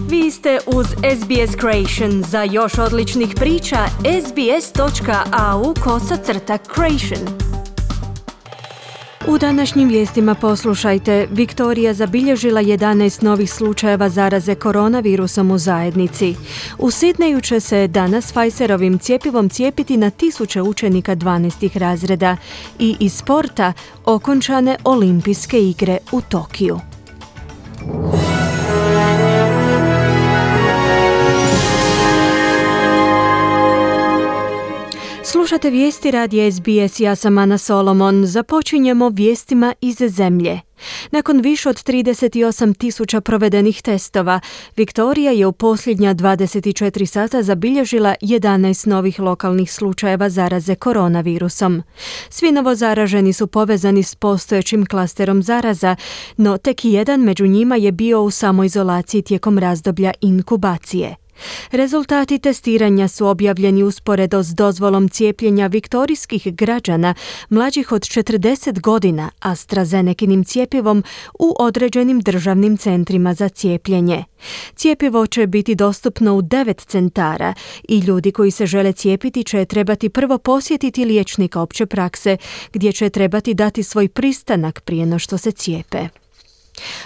Vi ste uz SBS Creation. Za još odličnih priča, sbs.au/creation. U današnjim vijestima poslušajte, Viktorija zabilježila 11 novih slučajeva zaraze koronavirusom u zajednici. U Sidneju će se danas Pfizerovim cjepivom cijepiti na 1000 učenika 12. razreda i iz sporta okončane olimpijske igre u Tokiju. Slušate vijesti radija SBS, ja sam Ana Solomon. Započinjemo vijestima iz zemlje. Nakon više od 38.000 provedenih testova, Viktorija je u posljednja 24 sata zabilježila 11 novih lokalnih slučajeva zaraze koronavirusom. Svi novozaraženi su povezani s postojećim klasterom zaraza, no tek jedan među njima je bio u samoizolaciji tijekom razdoblja inkubacije. Rezultati testiranja su objavljeni usporedo s dozvolom cijepljenja viktorijskih građana mlađih od 40 godina AstraZenekinim cjepivom u određenim državnim centrima za cijepljenje. Cjepivo će biti dostupno u 9 centara i ljudi koji se žele cijepiti će trebati prvo posjetiti liječnika opće prakse, gdje će trebati dati svoj pristanak prije no što se cijepe.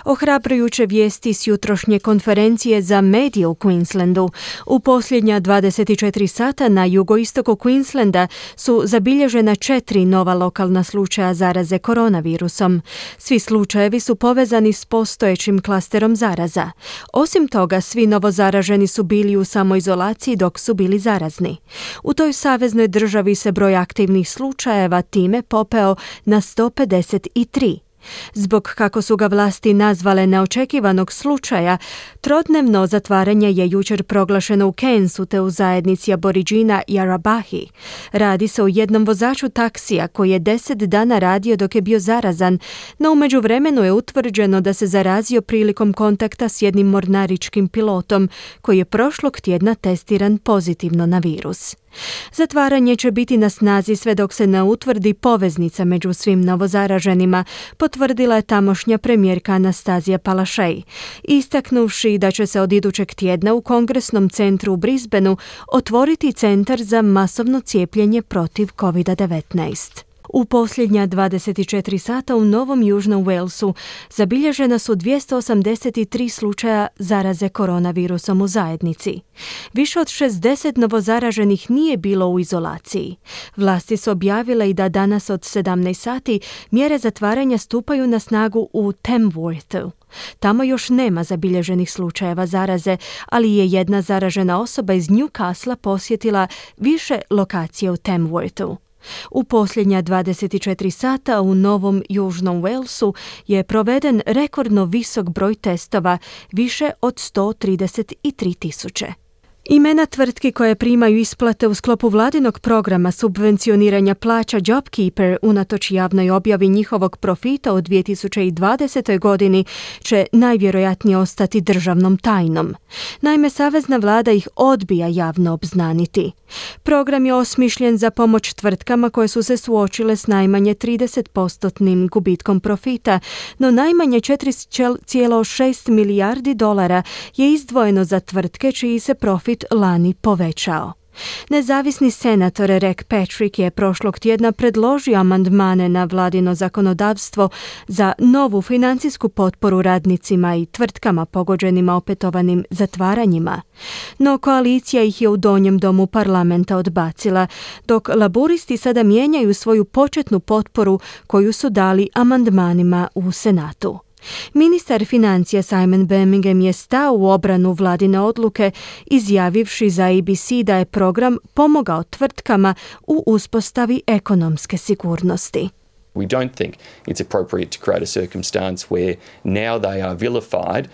Ohrabrujuće vijesti s jutrošnje konferencije za medije u Queenslandu. U posljednja 24 sata na jugoistoku Queenslanda su zabilježena 4 nova lokalna slučaja zaraze koronavirusom. Svi slučajevi su povezani s postojećim klasterom zaraza. Osim toga, svi novozaraženi su bili u samoizolaciji dok su bili zarazni. U toj saveznoj državi se broj aktivnih slučajeva time popeo na 153. Zbog, kako su ga vlasti nazvale, neočekivanog slučaja, trodnevno zatvaranje je jučer proglašeno u Cairnsu te u zajednici Aboriđina Yarabahi. Radi se o jednom vozaču taksija koji je 10 dana radio dok je bio zarazan, no u međuvremenu je utvrđeno da se zarazio prilikom kontakta s jednim mornaričkim pilotom koji je prošlog tjedna testiran pozitivno na virus. Zatvaranje će biti na snazi sve dok se ne utvrdi poveznica među svim novozaraženima, potvrdila je tamošnja premijerka Anastazija Palaszczuk, istaknuvši da će se od idućeg tjedna u Kongresnom centru u Brisbaneu otvoriti centar za masovno cijepljenje protiv COVID-19. U posljednja 24 sata u Novom Južnom Walesu zabilježena su 283 slučaja zaraze koronavirusom u zajednici. Više od 60 novozaraženih nije bilo u izolaciji. Vlasti su objavile i da danas od 17 sati mjere zatvaranja stupaju na snagu u Tamworthu. Tamo još nema zabilježenih slučajeva zaraze, ali je jedna zaražena osoba iz Newcastle posjetila više lokacije u Tamworthu. U posljednja 24 sata u Novom Južnom Walesu je proveden rekordno visok broj testova, više od 133.000. Imena tvrtki koje primaju isplate u sklopu vladinog programa subvencioniranja plaća JobKeeper unatoč javnoj objavi njihovog profita u 2020. godini će najvjerojatnije ostati državnom tajnom. Naime, savezna vlada ih odbija javno obznaniti. Program je osmišljen za pomoć tvrtkama koje su se suočile s najmanje 30% gubitkom profita, no najmanje 4,6 milijardi dolara je izdvojeno za tvrtke čiji se profit lani povećao. Nezavisni senator Rick Patrick je prošlog tjedna predložio amandmane na vladino zakonodavstvo za novu financijsku potporu radnicima i tvrtkama pogođenima opetovanim zatvaranjima. No koalicija ih je u donjem domu parlamenta odbacila, dok laburisti sada mijenjaju svoju početnu potporu koju su dali amandmanima u Senatu. Ministar financija Simon Birmingham je stao u obranu vladine odluke, izjavivši za ABC da je program pomogao tvrtkama u uspostavi ekonomske sigurnosti. We don't think it's appropriate to create a circumstance where now they are vilified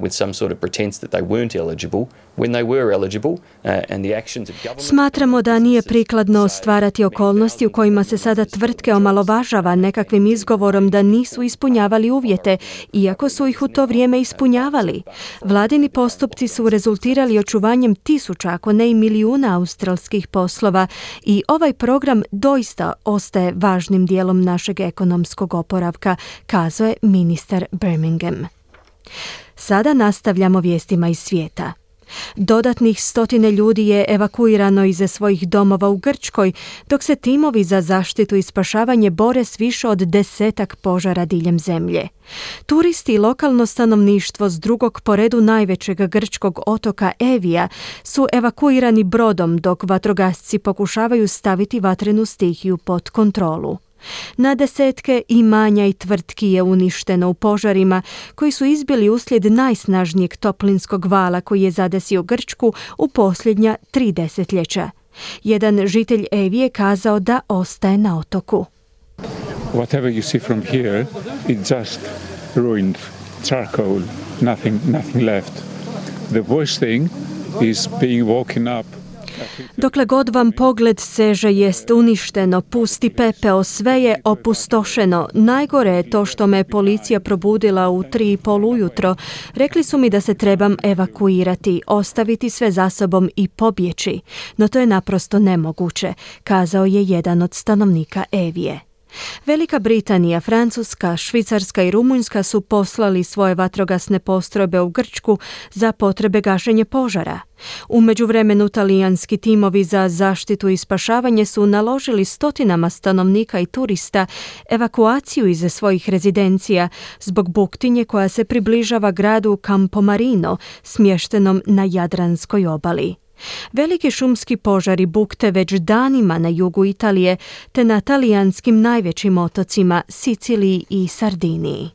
with some sort of pretense that they weren't eligible when they were eligible and the actions of government. Smatramo da nije prikladno stvarati okolnosti u kojima se sada tvrtke omalovažava nekakvim izgovorom da nisu ispunjavali uvjete, iako su ih u to vrijeme ispunjavali. Vladini postupci su rezultirali očuvanjem tisuća, ako ne i milijuna australskih poslova i ovaj program doista ostaje važnim dijelom našeg ekonomskog oporavka, kazao je ministar Birmingham. Sada nastavljamo vijestima iz svijeta. Dodatnih 100 ljudi je evakuirano iz svojih domova u Grčkoj, dok se timovi za zaštitu i spašavanje bore s više od 10 požara diljem zemlje. Turisti i lokalno stanovništvo s drugog po redu najvećeg grčkog otoka Evija su evakuirani brodom, dok vatrogasci pokušavaju staviti vatrenu stihiju pod kontrolu. Na desetke imanja i tvrtki je uništeno u požarima koji su izbili uslijed najsnažnijeg toplinskog vala koji je zadesio Grčku u posljednja 3 desetljeća. Jedan žitelj Evije kazao da ostaje na otoku. Whatever you see from here, it's just ruined charcoal, nothing left. The worst thing is being woken up. Dokle god vam pogled seže jest uništeno, pusti pepeo, sve je opustošeno. Najgore je to što me policija probudila u 3:30 ujutro. Rekli su mi da se trebam evakuirati, ostaviti sve za sobom i pobjeći. No to je naprosto nemoguće, kazao je jedan od stanovnika Evije. Velika Britanija, Francuska, Švicarska i Rumunjska su poslali svoje vatrogasne postrojbe u Grčku za potrebe gašenja požara. U međuvremenu talijanski timovi za zaštitu i spašavanje su naložili 100 stanovnika i turista evakuaciju iz svojih rezidencija zbog buktinje koja se približava gradu Campomarino, smještenom na Jadranskoj obali. Veliki šumski požari bukte već danima na jugu Italije te na talijanskim najvećim otocima Siciliji i Sardiniji.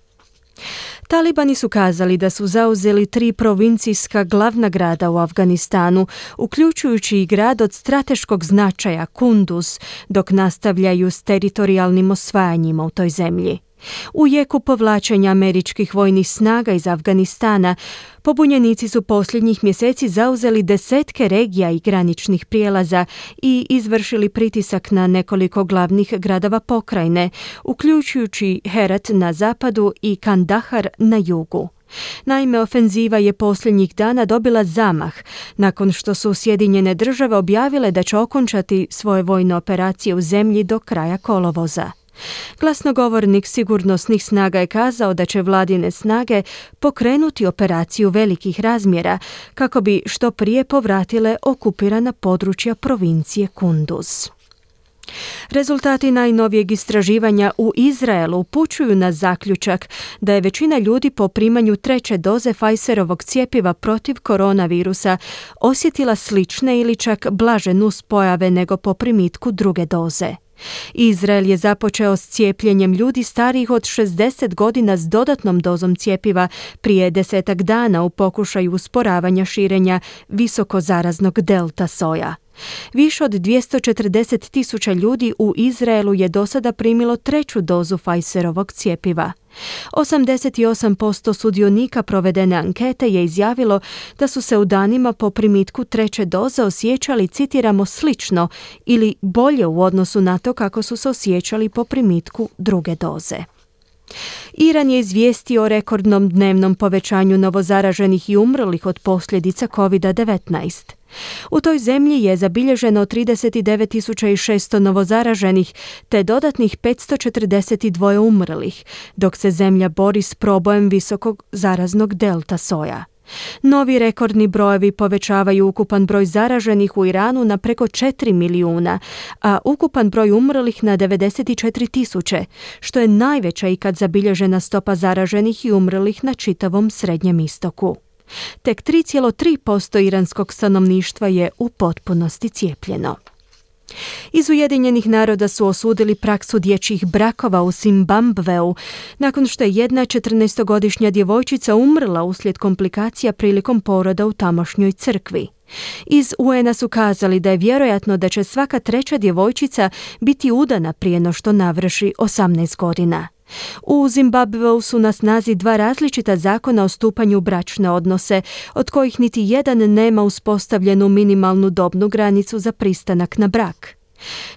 Talibani su kazali da su zauzeli 3 provincijska glavna grada u Afganistanu, uključujući i grad od strateškog značaja Kunduz, dok nastavljaju s teritorijalnim osvajanjima u toj zemlji. U jeku povlačenja američkih vojnih snaga iz Afganistana, pobunjenici su posljednjih mjeseci zauzeli 10 regija i graničnih prijelaza i izvršili pritisak na nekoliko glavnih gradova pokrajine, uključujući Herat na zapadu i Kandahar na jugu. Naime, ofenziva je posljednjih dana dobila zamah nakon što su Sjedinjene Države objavile da će okončati svoje vojne operacije u zemlji do kraja kolovoza. Glasnogovornik sigurnosnih snaga je kazao da će vladine snage pokrenuti operaciju velikih razmjera kako bi što prije povratile okupirana područja provincije Kunduz. Rezultati najnovijeg istraživanja u Izraelu upućuju na zaključak da je većina ljudi po primanju 3. doze Pfizerovog cjepiva protiv koronavirusa osjetila slične ili čak blaže nuspojave nego po primitku 2. doze. Izrael je započeo s cijepljenjem ljudi starijih od 60 godina s dodatnom dozom cjepiva prije 10 dana u pokušaju usporavanja širenja visokozaraznog delta soja. Više od 240.000 ljudi u Izraelu je do sada primilo 3. dozu Pfizerovog cjepiva. 88% sudionika provedene ankete je izjavilo da su se u danima po primitku 3. doze osjećali, citiramo, slično ili bolje u odnosu na to kako su se osjećali po primitku 2. doze. Iran je izvijestio o rekordnom dnevnom povećanju novozaraženih i umrlih od posljedica COVID-19. U toj zemlji je zabilježeno 39.600 novozaraženih te dodatnih 542 umrlih, dok se zemlja bori s probojem visokog zaraznog delta soja. Novi rekordni brojevi povećavaju ukupan broj zaraženih u Iranu na preko 4 milijuna, a ukupan broj umrlih na 94.000, što je najveća ikad zabilježena stopa zaraženih i umrlih na čitavom Srednjem istoku. Tek 3,3% iranskog stanovništva je u potpunosti cijepljeno. Iz Ujedinjenih naroda su osudili praksu dječjih brakova u Zimbabveu nakon što je jedna 14-godišnja djevojčica umrla uslijed komplikacija prilikom poroda u tamošnjoj crkvi. Iz UN-a su kazali da je vjerojatno da će svaka 3. djevojčica biti udana prije no što navrši 18 godina. U Zimbabveu su na snazi 2 različita zakona o stupanju u bračne odnose, od kojih niti jedan nema uspostavljenu minimalnu dobnu granicu za pristanak na brak.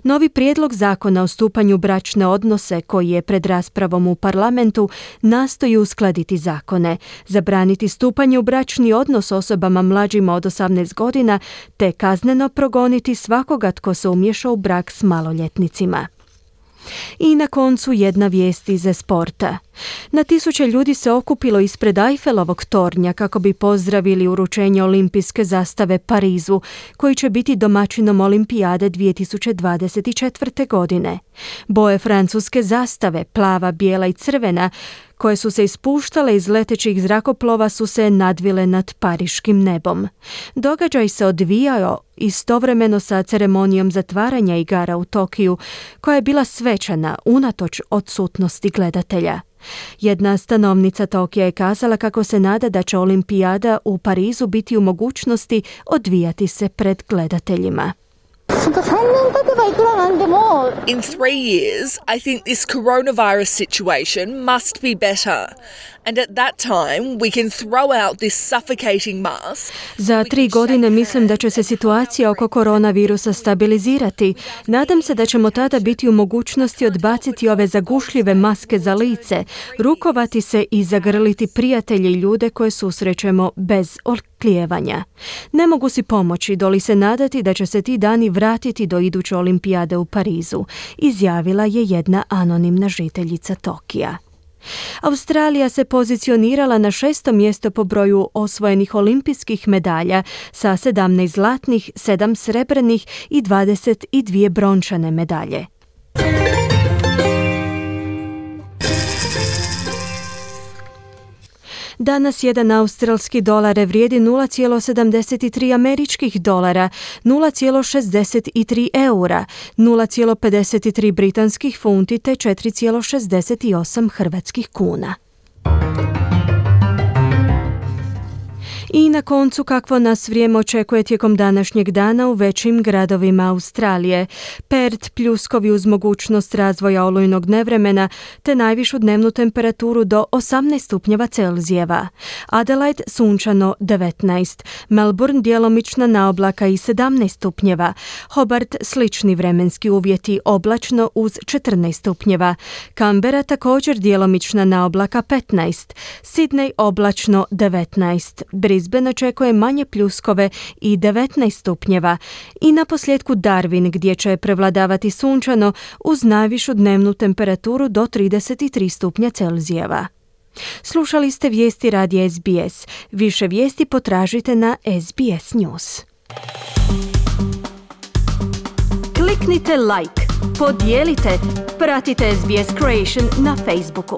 Novi prijedlog zakona o stupanju u bračne odnose, koji je pred raspravom u parlamentu, nastoji uskladiti zakone, zabraniti stupanje u bračni odnos osobama mlađima od 18 godina, te kazneno progoniti svakoga tko se umiješa u brak s maloljetnicima. I na koncu jedna vijest iz sporta. Na tisuće ljudi se okupilo ispred Eiffelovog tornja kako bi pozdravili uručenje olimpijske zastave Parizu, koji će biti domaćinom olimpijade 2024. godine. Boje francuske zastave, plava, bijela i crvena, koje su se ispuštale iz letećih zrakoplova, su se nadvile nad pariškim nebom. Događaj se odvijao istovremeno sa ceremonijom zatvaranja igara u Tokiju, koja je bila svečana unatoč odsutnosti gledatelja. Jedna stanovnica Tokija je kazala kako se nada da će olimpijada u Parizu biti u mogućnosti odvijati se pred gledateljima. In 3 years, I think this coronavirus situation must be better. And at that time, we can throw out this suffocating mask. Za 3 godine mislim da će se situacija oko koronavirusa stabilizirati. Nadam se da ćemo tada biti u mogućnosti odbaciti ove zagušljive maske za lice, rukovati se i zagrliti prijatelje i ljude koje susrećemo bez oklijevanja. Ne mogu si pomoći doli se nadati da će se ti dani vratiti do iduće olimpijade u Parizu, izjavila je jedna anonimna žiteljica Tokija. Australija se pozicionirala na 6. mjesto po broju osvojenih olimpijskih medalja sa 17 zlatnih, 7 srebrnih i 22 brončane medalje. Danas jedan australski dolar vrijedi 0,73 američkih dolara, 0,63 eura, 0,53 britanskih funti te 4,68 hrvatskih kuna. I na koncu kakvo nas vrijeme očekuje tijekom današnjeg dana u većim gradovima Australije. Perth pljuskovi uz mogućnost razvoja olujnog nevremena te najvišu dnevnu temperaturu do 18 stupnjeva Celzijeva. Adelaide sunčano 19, Melbourne djelomična naoblaka i 17 stupnjeva, Hobart slični vremenski uvjeti oblačno uz 14 stupnjeva, Canberra također djelomična naoblaka 15, Sydney oblačno 19, Brisbane očekuje manje pljuskove i 19 stupnjeva i na posljedku Darwin gdje će prevladavati sunčano uz najvišu dnevnu temperaturu do 33 stupnja Celzijeva. Slušali ste vijesti radija SBS. Više vijesti potražite na SBS News. Kliknite like, podijelite, pratite SBS Creation na Facebooku.